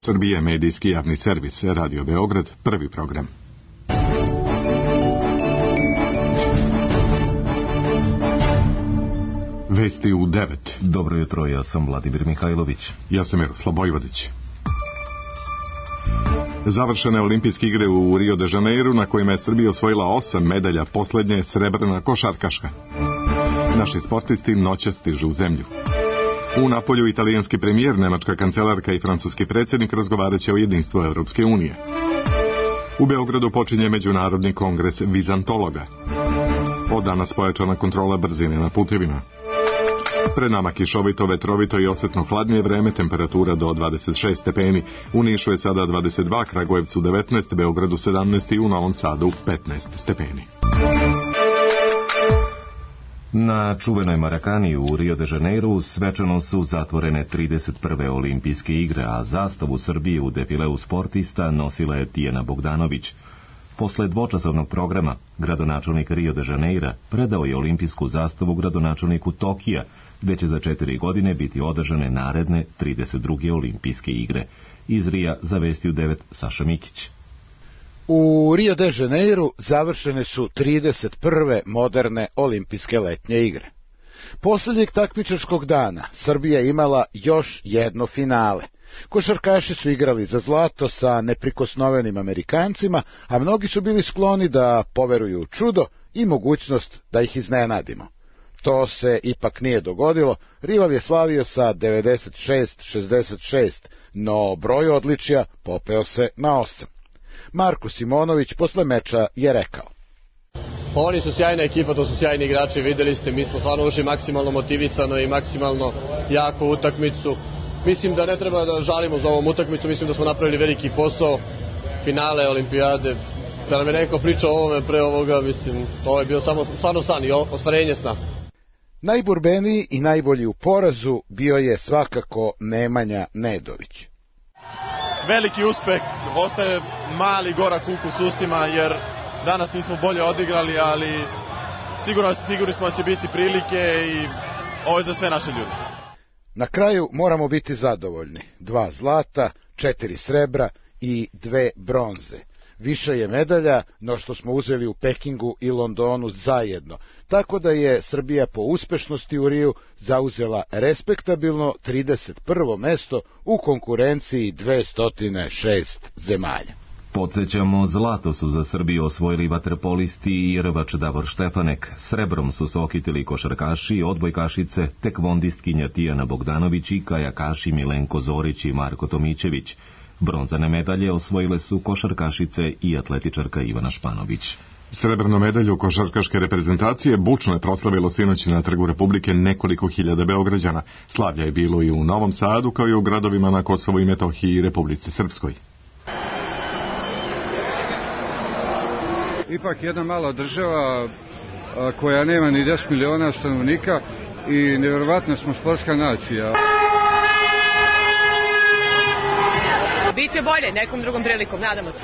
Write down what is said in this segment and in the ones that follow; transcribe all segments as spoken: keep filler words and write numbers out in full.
Srbija, medijski javni servis, Radio Beograd, prvi program. Vesti u devet. Dobro jutro, ja sam Vladimir Mihajlović. Ja sam Miroslav Bojvodić. Završene olimpijske igre u Rio de Janeiru, na kojima je Srbija osvojila osam medalja, poslednje je srebrna košarkaška. Naši sportisti noćas stižu u zemlju. U Napolju italijanski premijer, nemačka kancelarka i francuski predsjednik razgovaraće o jedinstvu Evropske unije. U Beogradu počinje Međunarodni kongres vizantologa. Od danas pojačana kontrola brzine na putevima. Pred nama kišovito, vetrovito i osetno hladnije vreme, temperatura do dvadeset šest stepeni. U Nišu je sada dvadeset dva, Kragujevcu devetnaest, Beogradu sedamnaest i u Novom Sadu petnaest stepeni. Na čuvenoj Marakani u Rio de Janeiru svečano su zatvorene trideset prve olimpijske igre, a zastavu Srbije u defileu sportista nosila je Tijana Bogdanović. Posle dvočasovnog programa, gradonačelnik Rio de Janeira predao je olimpijsku zastavu gradonačelniku Tokija, gde će za četiri godine biti održane naredne trideset druge olimpijske igre. Iz Rija za Vesti u devet Saša Mikić. U Rio de Janeiru završene su trideset prve moderne olimpijske letnje igre. Posljednjeg takmičarskog dana Srbija je imala još jedno finale. Košarkaši su igrali za zlato sa neprikosnovenim Amerikancima, a mnogi su bili skloni da poveruju u čudo i mogućnost da ih iznenadimo. To se ipak nije dogodilo, rival je slavio sa devedeset šest šezdeset šest, no broj odličja popeo se na osam. Marko Simonović posle meča je rekao: Oni su sjajna ekipa, to su sjajni igrači, videli ste, mi smo stvarno ušli maksimalno motivisano i maksimalno jako utakmicu. Mislim da ne treba da žalimo za ovom utakmicu, mislim da smo napravili veliki posao, finale olimpijade. Da nam je neko pričao o ovome pre ovoga, mislim, to je bio samo stvarno san i ostvarenje sna. Najborbeniji i najbolji u porazu bio je svakako Nemanja Nedović. Veliki uspeh, ostaje mali gorak ukus ustima jer danas nismo bolje odigrali, ali sigurno, sigurni smo da će biti prilike i ovo je za sve naše ljude. Na kraju moramo biti zadovoljni. Dva zlata, četiri srebra i dve bronze. Više je medalja no što smo uzeli u Pekingu i Londonu zajedno, tako da je Srbija po uspešnosti u Riju zauzela respektabilno trideset prvo mesto u konkurenciji dvesta šest zemalja. Podsjećamo, zlato su za Srbiju osvojili vaterpolisti i rvač Davor Štefanek, srebrom su se okitili košarkaši, odbojkašice, tekvondistkinja Tijana Bogdanović i kajakaši Milenko Zorić i Marko Tomićević. Bronzane medalje osvojile su košarkašice i atletičarka Ivana Španović. Srebrnu medalju košarkaške reprezentacije bučno je proslavilo sinoć na Trgu Republike nekoliko hiljada Beograđana. Slavlja je bilo i u Novom Sadu, kao i u gradovima na Kosovu i Metohiji i Republici Srpskoj. Ipak jedna mala država koja nema ni deset miliona stanovnika i nevjerovatna smo sportska nacija. Biće bolje nekom drugom prilikom, nadamo se.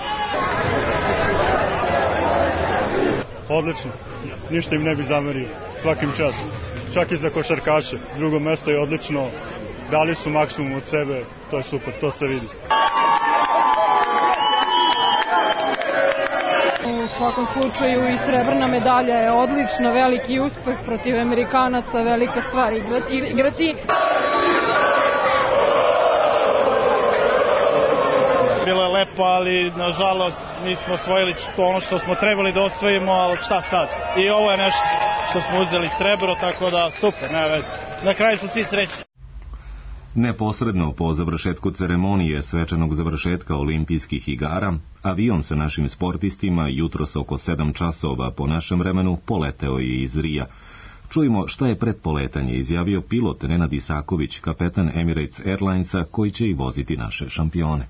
Odlično, ništa im ne bi zamerio, svakim častom. Čak i za košarkaše, drugo mesto je odlično, dali su maksimum od sebe, to je super, to se vidi. U svakom slučaju i srebrna medalja je odlična, veliki uspeh protiv Amerikanaca, velika stvar igrati. Bilo je lepo, ali nažalost nismo osvojili to ono što smo trebali da osvojimo, ali šta sad? I ovo je nešto što smo uzeli srebro, tako da super, ne veze. Na kraju smo svi srećni. Neposredno po završetku ceremonije svečanog završetka olimpijskih igara, avion sa našim sportistima jutros oko sedam časova po našem vremenu poleteo je iz Rija. Čujemo šta je pred poletanje izjavio pilot Nenad Isaković, kapetan Emirates Airlinesa, koji će i voziti naše šampione.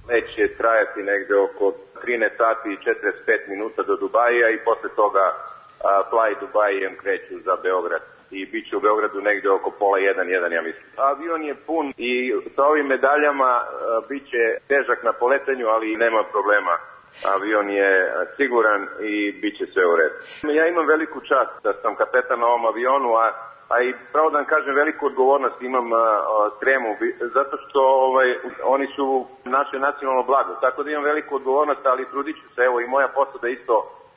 Let će trajati negde oko trinaest sati i četrdeset pet minuta do Dubaija i posle toga a, Fly Dubaijem kreću za Beograd. I bit će u Beogradu negde oko pola jedan, jedan, ja mislim. Avion je pun i sa ovim medaljama a, bit će težak na poletanju, ali nema problema. Avion je siguran i bit će sve u redu. Ja imam veliku čast da sam kapetan na ovom avionu, a a i pravo da vam kažem veliku odgovornost imam uh, tremu, zato što ovaj, oni su naše nacionalno blago, tako da imam veliku odgovornost, ali trudit ću se, evo i moja posada isto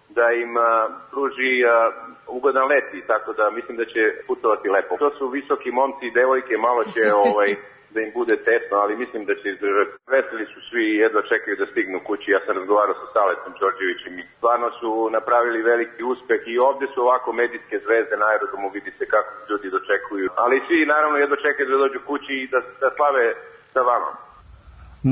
da im uh, pruži uh, ugodan let i tako da mislim da će putovati lepo. To su visoki momci i devojke, malo će ovaj, da im bude tesno, ali mislim da će izdržati. Veseli su svi i jedva čekaju da stignu kući. Ja sam razgovarao sa Saletom Đorđevićem i stvarno su napravili veliki uspeh i ovde su ovako medijske zvezde na aerodromu, vidi se kako ljudi dočekuju. Ali svi naravno jedva čekaju da dođu kući i da, da slave sa vama.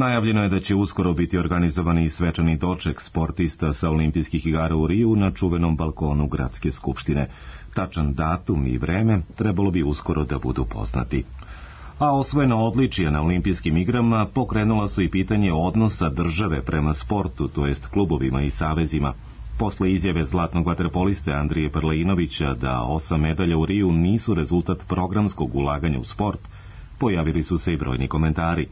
Najavljeno je da će uskoro biti organizovani i svečani doček sportista sa olimpijskih igara u Riju na čuvenom balkonu Gradske skupštine. Tačan datum i vreme trebalo bi uskoro da budu poznati. A osvojena odličija na olimpijskim igrama pokrenula su i pitanje odnosa države prema sportu, to jest klubovima i savezima. Posle izjave zlatnog vaterpoliste Andrije Prleinovića da osam medalja u Riju nisu rezultat programskog ulaganja u sport, pojavili su se i brojni komentari.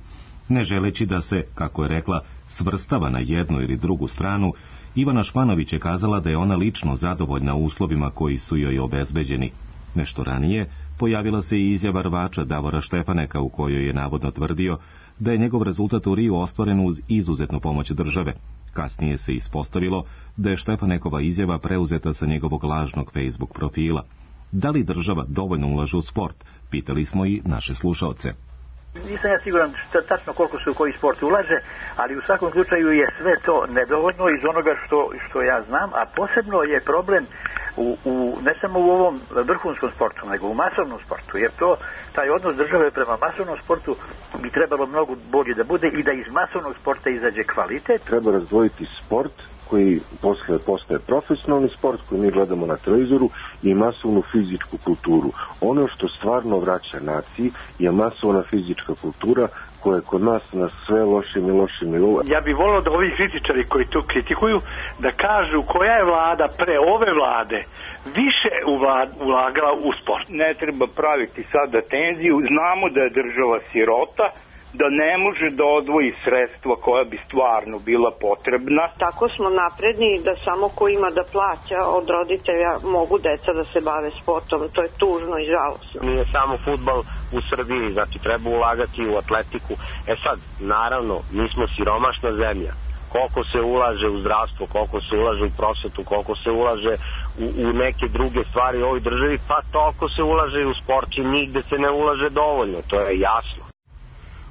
Ne želeći da se, kako je rekla, svrstava na jednu ili drugu stranu, Ivana Španović je kazala da je ona lično zadovoljna uslovima koji su joj obezbeđeni. Nešto ranije pojavila se i izjava rvača Davora Štefaneka u kojoj je navodno tvrdio da je njegov rezultat u Riju ostvaren uz izuzetnu pomoć države. Kasnije se ispostavilo da je Štefanekova izjava preuzeta sa njegovog lažnog Facebook profila. Da li država dovoljno ulaže u sport? Pitali smo i naše slušaoce. Nisam ja siguran šta, tačno koliko se u koji sport ulaže, ali u svakom slučaju je sve to nedovoljno iz onoga što, što ja znam, a posebno je problem u, u, ne samo u ovom vrhunskom sportu, nego u masovnom sportu, jer to, taj odnos države prema masovnom sportu bi trebalo mnogo bolje da bude i da iz masovnog sporta izađe kvalitet. Treba razdvojiti sport koji posle postaje profesionalni sport koji mi gledamo na televizoru i masovnu fizičku kulturu. Ono što stvarno vraća naciji je masovna fizička kultura koja je kod nas na sve lošim i lošim nivou. Ja bih volio da ovi kritičari koji to kritikuju da kažu koja je vlada pre ove vlade više ulagala u sport. Ne treba praviti sada tenziju, znamo da je država sirota, da ne može da odvoji sredstva koja bi stvarno bila potrebna. Tako smo napredni da samo ko ima da plaća od roditelja mogu deca da se bave sportom. To je tužno i žalosno. Nije samo fudbal u Srbiji, znači treba ulagati u atletiku. E sad, naravno, mi smo siromašna zemlja. Koliko se ulaže u zdravstvo, koliko se ulaže u prosvetu, koliko se ulaže u, u neke druge stvari u ovoj državi, pa toliko se ulaže i u sport i nigde se ne ulaže dovoljno, to je jasno.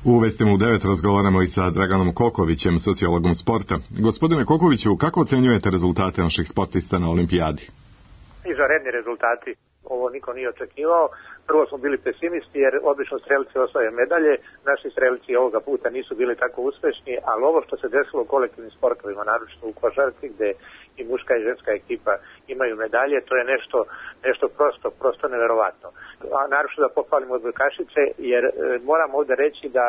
U Vestima u devet razgovaramo i sa Draganom Kokovićem, sociologom sporta. Gospodine Kokoviću, kako ocenjujete rezultate naših sportista na olimpijadi? Izvanredni rezultati. Ovo niko nije očekivao. Prvo smo bili pesimisti jer obično strelci osvaja medalje. Naši strelci ovoga puta nisu bili tako uspešni, ali ovo što se desilo u kolektivnim sportovima, naročito u košarci gde i muška i ženska ekipa imaju medalje, to je nešto, nešto prosto, prosto neverovatno. A naročito da pohvalimo odbojkašice, jer e, moram ovde reći da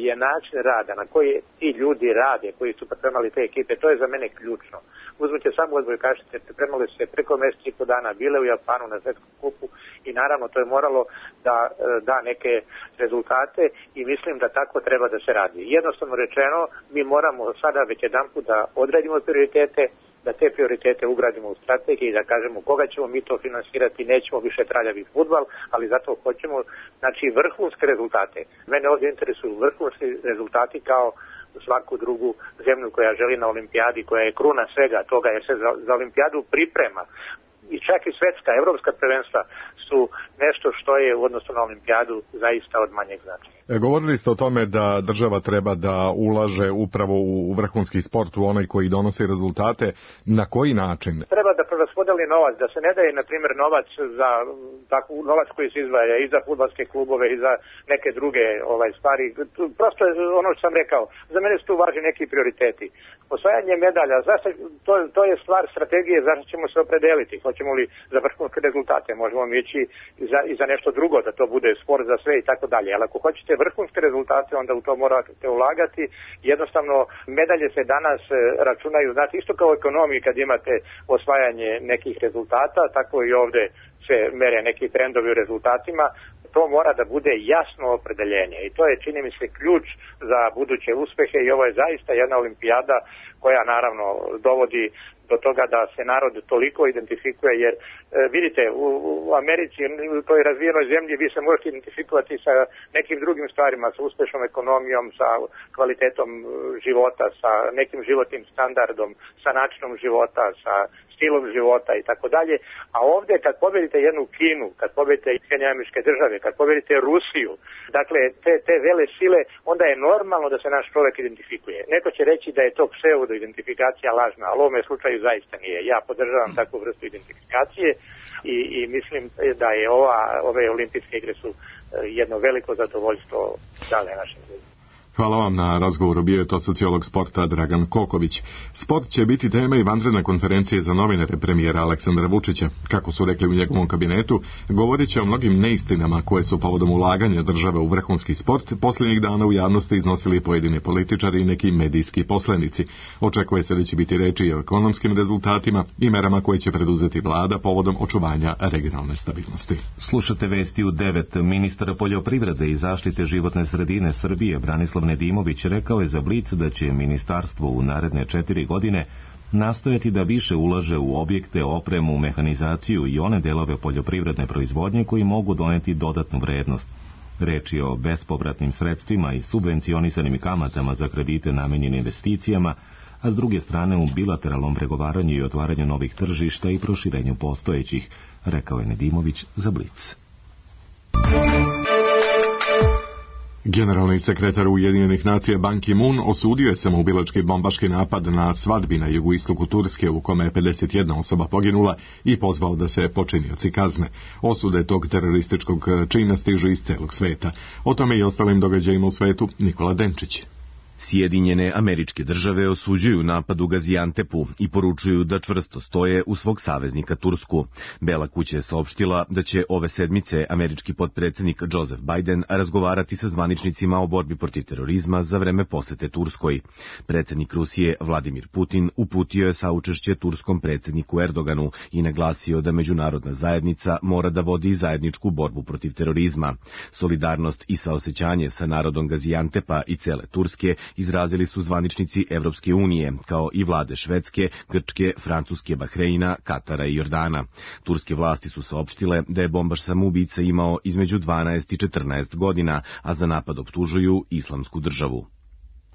je način rada na koji ti ljudi rade, koji su pripremali te ekipe, to je za mene ključno. Uzmite samo odbojkašice, pripremali se preko mesec i po dana, bile u Japanu na svetskom kupu i naravno to je moralo da e, da neke rezultate i mislim da tako treba da se radi. Jednostavno rečeno, mi moramo sada već jedanput da odredimo prioritete, da te prioritete ugradimo u strategiji i da kažemo koga ćemo mi to finansirati, nećemo više traljavi fudbal, ali zato hoćemo znači vrhunske rezultate. Mene ovdje interesuju vrhunski rezultati kao svaku drugu zemlju koja želi na olimpijadi, koja je kruna svega toga jer se za, za olimpijadu priprema. I čak i svetska, evropska prvenstva su nešto što je u odnosu na olimpijadu zaista od manjeg značaja. E, govorili ste o tome da država treba da ulaže upravo u vrhunski sport, u onaj koji donosi rezultate. Na koji način? Treba da preraspodeli novac, da se ne daje, na primjer, novac za tako, novac koji se izdvaja i za fudbalske klubove i za neke druge ovaj stvari. Prosto je ono što sam rekao, za mene su tu važni neki prioriteti. Osvajanje medalja, zašto, to, to je stvar strategije, zašto ćemo se opredeliti. Hoćemo li za vrhunske rezultate, možemo mi ići i za, i za nešto drugo, da to bude sport za sve i tako dalje. Ali ako hoćete vrhunske rezultate, onda u to morate ulagati. Jednostavno, medalje se danas računaju, znate, isto kao u ekonomiji kad imate osvajanje nekih rezultata, tako i ovde se mere neki trendovi u rezultatima. To mora da bude jasno opredeljenje i to je, čini mi se, ključ za buduće uspehe i ovo je zaista jedna olimpijada koja naravno dovodi do toga da se narod toliko identifikuje, jer e, vidite, u, u Americi, u toj razvijenoj zemlji, vi se možete identifikovati sa nekim drugim stvarima, sa uspešnom ekonomijom, sa kvalitetom života, sa nekim životnim standardom, sa načinom života, sa stilom života i tako dalje. A ovdje kad pobedite jednu Kinu, kad pobedite Sjedinjene Američke Države, kad pobedite Rusiju, dakle te, te vele sile, onda je normalno da se naš čovjek identifikuje. Neko će reći da je to pseudo identifikacija lažna, ali u ovome slučaju zaista nije. Ja podržavam takvu vrstu identifikacije i, i mislim da je ova, ove olimpijske igre su jedno veliko zadovoljstvo dale našim ljudima. Hvala vam na razgovoru, bio je to sociolog sporta Dragan Koković. Sport će biti tema i vanredne konferencije za novinare premijera Aleksandra Vučića. Kako su rekli u njegovom kabinetu, govorit će o mnogim neistinama koje su povodom ulaganja države u vrhunski sport posljednjih dana u javnosti iznosili pojedini političari i neki medijski poslenici. Očekuje se da će biti reči i o ekonomskim rezultatima i merama koje će preduzeti vlada povodom očuvanja regionalne stabilnosti. Slušate vesti u devet. Ministar poljoprivrede i zaštite životne sredine Srbije Branislav Nedimović rekao je za Blic da će ministarstvo u naredne četiri godine nastojati da više ulaže u objekte, opremu, mehanizaciju i one delove poljoprivredne proizvodnje koji mogu doneti dodatnu vrednost. Reč je o bespovratnim sredstvima i subvencionisanim kamatama za kredite namenjene investicijama, a s druge strane u bilateralnom pregovaranju i otvaranju novih tržišta i proširenju postojećih, rekao je Nedimović za Blic. Generalni sekretar Ujedinjenih nacija Ban Ki-moon osudio je samoubilački bombaški napad na svadbi na jugoistoku Turske u kome je pedeset jedna osoba poginula i pozvao da se počinioci kazne. Osude tog terorističkog čina stižu iz celog sveta. O tome i ostalim događajima u svetu Nikola Denčić. Sjedinjene Američke Države osuđuju napad u Gaziantepu i poručuju da čvrsto stoje u svog saveznika Tursku. Bela kuća je saopštila da će ove sedmice američki potpredsjednik Joseph Biden razgovarati sa zvaničnicima o borbi protiv terorizma za vreme posete Turskoj. Predsjednik Rusije Vladimir Putin uputio je saučešće turskom predsjedniku Erdoganu i naglasio da međunarodna zajednica mora da vodi zajedničku borbu protiv terorizma. Solidarnost i saosećanje sa narodom Gaziantepa i cele Turske izrazili su zvaničnici Evropske unije, kao i vlade Švedske, Grčke, Francuske, Bahreina, Katara i Jordana. Turske vlasti su saopštile da je bombaš samoubica imao između dvanaest i četrnaest godina, a za napad optužuju Islamsku državu.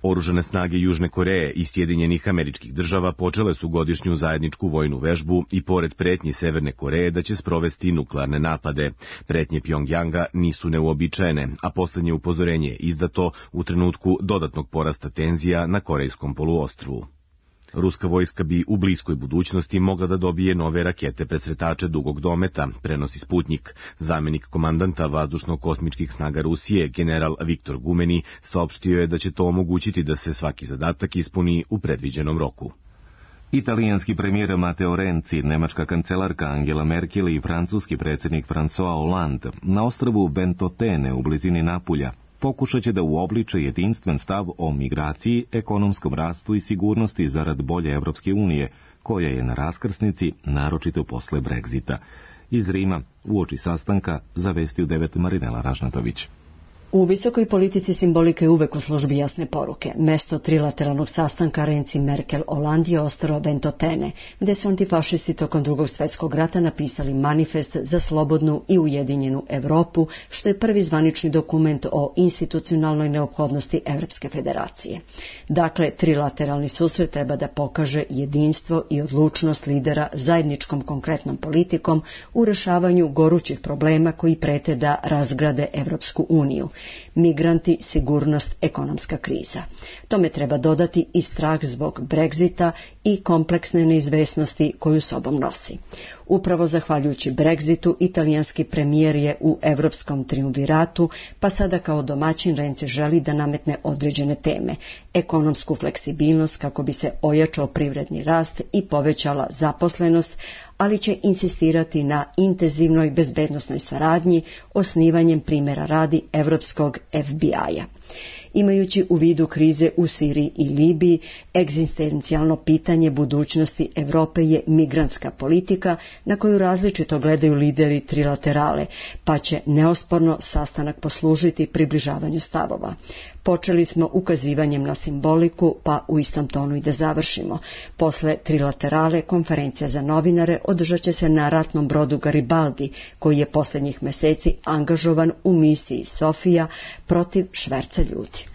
Oružane snage Južne Koreje i Sjedinjenih Američkih Država počele su godišnju zajedničku vojnu vežbu i pored pretnji Severne Koreje da će sprovesti nuklearne napade. Pretnje Pjongjanga nisu neuobičajene, a posljednje upozorenje je izdato u trenutku dodatnog porasta tenzija na Korejskom poluostrvu. Ruska vojska bi u bliskoj budućnosti mogla da dobije nove rakete presretače dugog dometa, prenosi Sputnik. Zamjenik komandanta vazdušno-kosmičkih snaga Rusije, general Viktor Gumeni, saopštio je da će to omogućiti da se svaki zadatak ispuni u predviđenom roku. Italijanski premijer Matteo Renzi, nemačka kancelarka Angela Merkel i francuski predsjednik François Hollande na ostrvu Ventotene u blizini Napulja pokušat će da uobliče jedinstven stav o migraciji, ekonomskom rastu i sigurnosti zarad bolje Evropske unije, koja je na raskrsnici, naročito posle Brexita. Iz Rima, uoči sastanka, zavestio devet Marinela Ražnatović. U visokoj politici simbolika je uvek u službi jasne poruke. Mesto trilateralnog sastanka Renzi, Merkel, Hollande je ostalo Ventotene, gde su antifašisti tokom drugog svjetskog rata napisali manifest za slobodnu i ujedinjenu Evropu, što je prvi zvanični dokument o institucionalnoj neophodnosti Evropske federacije. Dakle, trilateralni susret treba da pokaže jedinstvo i odlučnost lidera zajedničkom konkretnom politikom u rešavanju gorućih problema koji prete da razgrade Evropsku uniju. Migranti, sigurnost, ekonomska kriza. Tome treba dodati i strah zbog Brexita i kompleksne neizvesnosti koju sobom nosi. Upravo zahvaljujući Brexitu, italijanski premijer je u evropskom triumviratu, pa sada kao domaćin Renzi želi da nametne određene teme, ekonomsku fleksibilnost kako bi se ojačao privredni rast i povećala zaposlenost, ali će insistirati na intenzivnoj bezbednosnoj saradnji, osnivanjem primjera radi evropskog F B I-a. imajući u vidu krize u Siriji i Libiji, egzistencijalno pitanje budućnosti Evrope je migrantska politika na koju različito gledaju lideri trilaterale, pa će neosporno sastanak poslužiti približavanju stavova. Počeli smo ukazivanjem na simboliku, pa u istom tonu i da završimo. Posle trilaterale konferencija za novinare održat će se na ratnom brodu Garibaldi, koji je posljednjih meseci angažovan u misiji Sofija protiv šverca ljudi.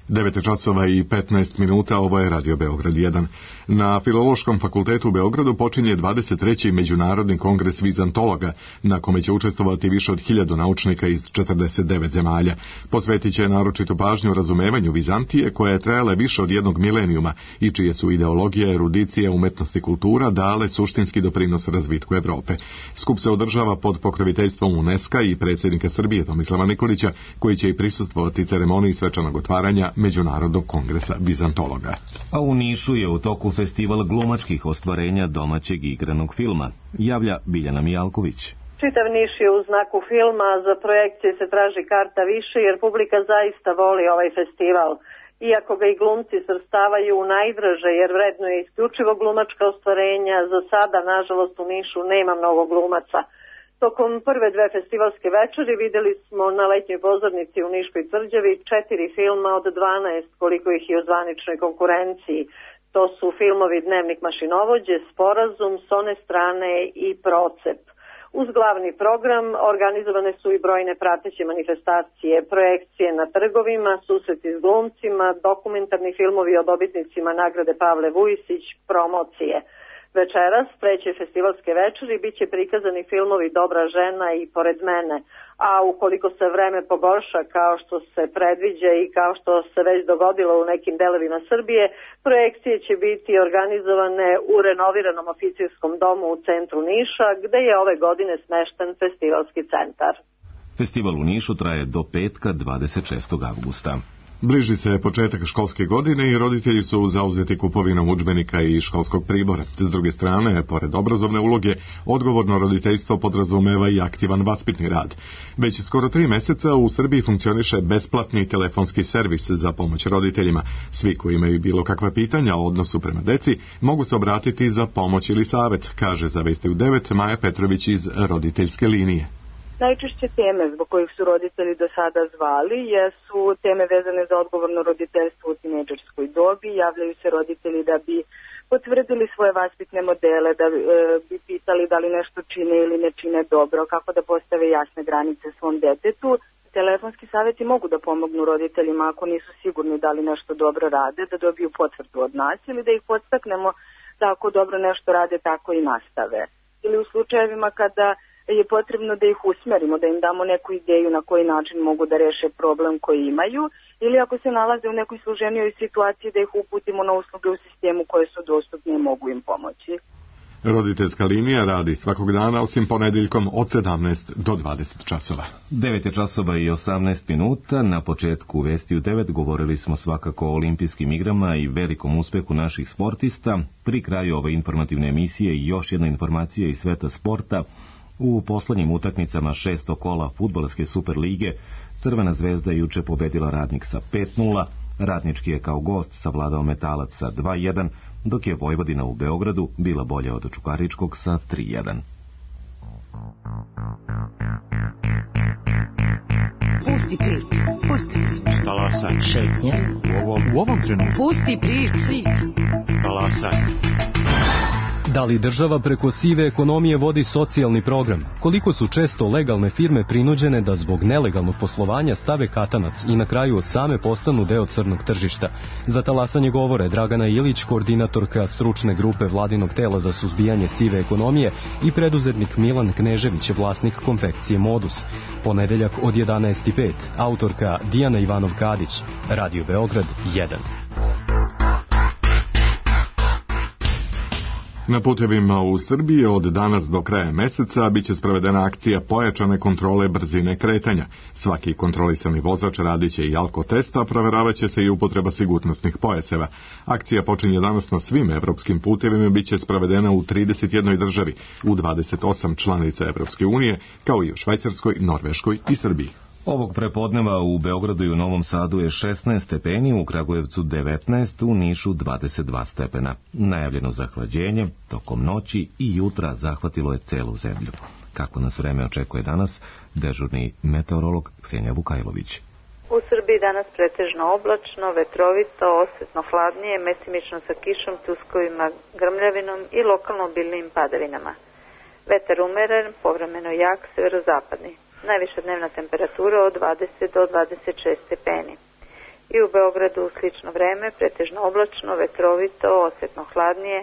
devet časova i petnaest minuta, ovo je Radio Beograd jedan. Na Filološkom fakultetu u Beogradu počinje dvadeset treći Međunarodni kongres vizantologa, na kome će učestvovati više od hiljadu naučnika iz četrdeset devet zemalja. Posvetit će naročitu pažnju razumevanju Vizantije, koja je trajala više od jednog milenijuma i čije su ideologija, erudicija, umetnost i kultura dale suštinski doprinos razvitku Evrope. Skup se održava pod pokroviteljstvom UNESCO i predsjednika Srbije Tomislava Nikolića, koji će i prisustvovati ceremoniji svečanog otvaranja Međunarodnog kongresa vizantologa. A u Nišu je u toku festival glumačkih ostvarenja domaćeg igranog filma, javlja Biljana Mijalković. Čitav Niš je u znaku filma, za projekcije se traži karta više jer publika zaista voli ovaj festival. Iako ga i glumci svrstavaju u najdraže jer vrednuje isključivo glumačka ostvarenja, za sada nažalost u Nišu nema mnogo glumaca. Tokom prve dve festivalske večeri vidjeli smo na letnjoj pozornici u Niškoj tvrđavi četiri filma od dvanaest koliko ih je u zvaničnoj konkurenciji. To su filmovi Dnevnik mašinovođe, Sporazum, S one strane i Procep. Uz glavni program organizovane su i brojne prateće manifestacije, projekcije na trgovima, susreti s glumcima, dokumentarni filmovi o dobitnicima nagrade Pavle Vujisić, promocije. Večeras, treće festivalske večeri, bit će prikazani filmovi Dobra žena i Pored mene, a ukoliko se vreme pogorša kao što se predviđa i kao što se već dogodilo u nekim delovima Srbije, projekcije će biti organizovane u renoviranom oficirskom domu u centru Niša, gde je ove godine smešten festivalski centar. Festival u Nišu traje do petka dvadeset šestog avgusta. Bliži se početak školske godine i roditelji su zauzeti kupovinom udžbenika i školskog pribora. S druge strane, pored obrazovne uloge, odgovorno roditeljstvo podrazumeva i aktivan vaspitni rad. Već skoro tri meseca u Srbiji funkcioniše besplatni telefonski servis za pomoć roditeljima. Svi koji imaju bilo kakva pitanja o odnosu prema deci mogu se obratiti za pomoć ili savet, kaže za Vesti u devet Maja Petrović iz roditeljske linije. Najčešće teme zbog kojih su roditelji do sada zvali jesu teme vezane za odgovorno roditeljstvo u tinejdžerskoj dobi. Javljaju se roditelji da bi potvrdili svoje vaspitne modele, da e, bi pitali da li nešto čine ili ne čine dobro, kako da postave jasne granice svom detetu. Telefonski savjeti mogu da pomognu roditeljima ako nisu sigurni da li nešto dobro rade, da dobiju potvrdu od nas ili da ih podstaknemo da ako dobro nešto rade, tako i nastave. Ili u slučajevima kada je potrebno da ih usmerimo, da im damo neku ideju na koji način mogu da reše problem koji imaju, ili ako se nalaze u nekoj složenijoj situaciji da ih uputimo na usluge u sistemu koje su dostupne i mogu im pomoći. Roditeljska linija radi svakog dana osim ponedjeljkom od sedamnaest do dvadeset časova. devet časova i osamnaest minuta. Na početku Vesti u devet govorili smo svakako o olimpijskim igrama i velikom uspehu naših sportista. Pri kraju ove informativne emisije još jedna informacija iz sveta sporta. U poslednjim utakmicama šestog kola fudbalske Super lige Crvena zvezda je juče pobedila Radnik sa pet nula, Radnički je kao gost savladao Metalac sa dva jedan, dok je Vojvodina u Beogradu bila bolja od Čukaričkog sa tri jedan. Pusti priču, pusti priču. Talasaj. Šetnja. U ovom, u ovom trenutku. Pusti priču. Talasaj. Da li država preko sive ekonomije vodi socijalni program? Koliko su često legalne firme prinuđene da zbog nelegalnog poslovanja stave katanac i na kraju same postanu deo crnog tržišta? Za talasanje govore Dragana Ilić, koordinatorka stručne grupe vladinog tela za suzbijanje sive ekonomije, i preduzetnik Milan Knežević, vlasnik konfekcije Modus. Ponedeljak od jedanaest i pet, autorka Dijana Ivanov-Kadić, Radio Beograd jedan. Na putevima u Srbiji od danas do kraja meseca biće sprovedena akcija pojačane kontrole brzine kretanja. Svaki kontrolisani vozač radit će i alkotest, a provjeravat će se i upotreba sigurnosnih pojaseva. Akcija počinje danas na svim evropskim putevima, bit će sprovedena u trideset jednoj državi, u dvadeset osam članica Evropske unije, kao i u Švajcarskoj, Norveškoj i Srbiji. Ovog prepodneva u Beogradu i u Novom Sadu je šesnaest stepeni, u Kragujevcu devetnaest, u Nišu dvadeset dva stepena. Najavljeno zahlađenje tokom noći i jutra zahvatilo je celu zemlju. Kako nas vreme očekuje danas, dežurni meteorolog Ksenija Vukajlović. U Srbiji danas pretežno oblačno, vetrovito, osjetno hladnije, mesimično sa kišom, pljuskovima, grmljavinom i lokalno obilnim padavinama. Vetar umeren, povremeno jak, severozapadni. Najviša dnevna temperatura od dvadeset do dvadeset šest stepeni. I u Beogradu slično vreme, pretežno oblačno, vetrovito, osjetno hladnije,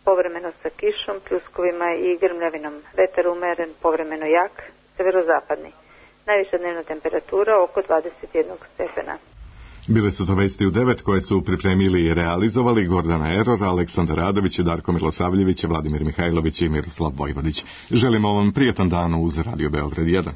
povremeno sa kišom, pljuskovima i grmljavinom. Vetar umeren, povremeno jak, severozapadni. Najviša dnevna temperatura oko dvadeset jedan stepena. Bile su to vesti u devet koje su pripremili i realizovali Gordana Eror, Aleksandar Radović, Darko Milosavljević, Vladimir Mihajlović i Miroslav Vojvodić. Želimo vam prijatan dan uz Radio Beograd jedan.